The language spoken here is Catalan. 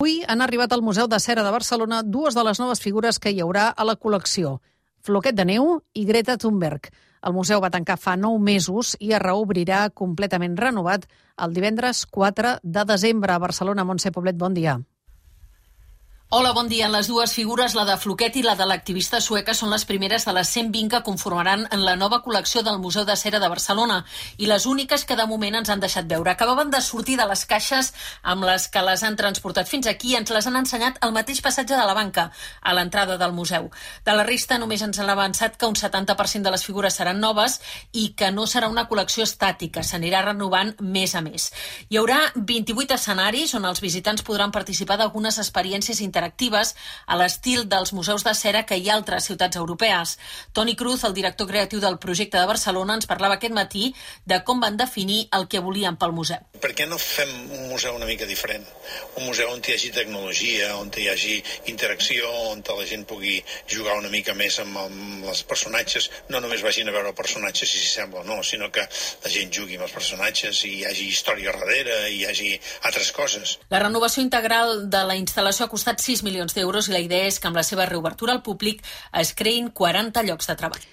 Avui han arribat al Museu de Cera de Barcelona dues de les noves figures que hi haurà a la col·lecció, Floquet de Neu i Greta Thunberg. El museu va tancar fa 9 mesos i es reobrirà completament renovat el divendres 4 de desembre a Barcelona. Montse Poblet, bon dia. Hola, bon dia. Les dues figures, la de Floquet i la de l'activista sueca, són les primeres de les 120 que conformaran en la nova col·lecció del Museu de Cera de Barcelona i les úniques que de moment ens han deixat veure. Acabaven de sortir de les caixes amb les que les han transportat fins aquí i ens les han ensenyat al mateix passatge de la banca, a l'entrada del museu. De la resta només ens han avançat que un 70% de les figures seran noves i que no serà una col·lecció estàtica, s'anirà renovant mes a mes. Hi haurà 28 escenaris on els visitants podran participar d'algunes experiències interactives a l'estil dels museus de cera que hi ha a altres ciutats europees. Toni Cruz, el director creatiu del projecte de Barcelona, ens parlava aquest matí de com van definir el que volien pel museu. Per què no fem un museu una mica diferent? Un museu on hi hagi tecnologia, on hi hagi interacció, on la gent pugui jugar una mica més amb els personatges, no només vagin a veure personatges si s'hi sembla o no, sinó que la gent jugui amb els personatges i hi hagi història darrere, i hi hagi altres coses. La renovació integral de la instal·lació ha costat 6 milions d'euros i la idea és que amb la seva reobertura al públic es creïn 40 llocs de treball.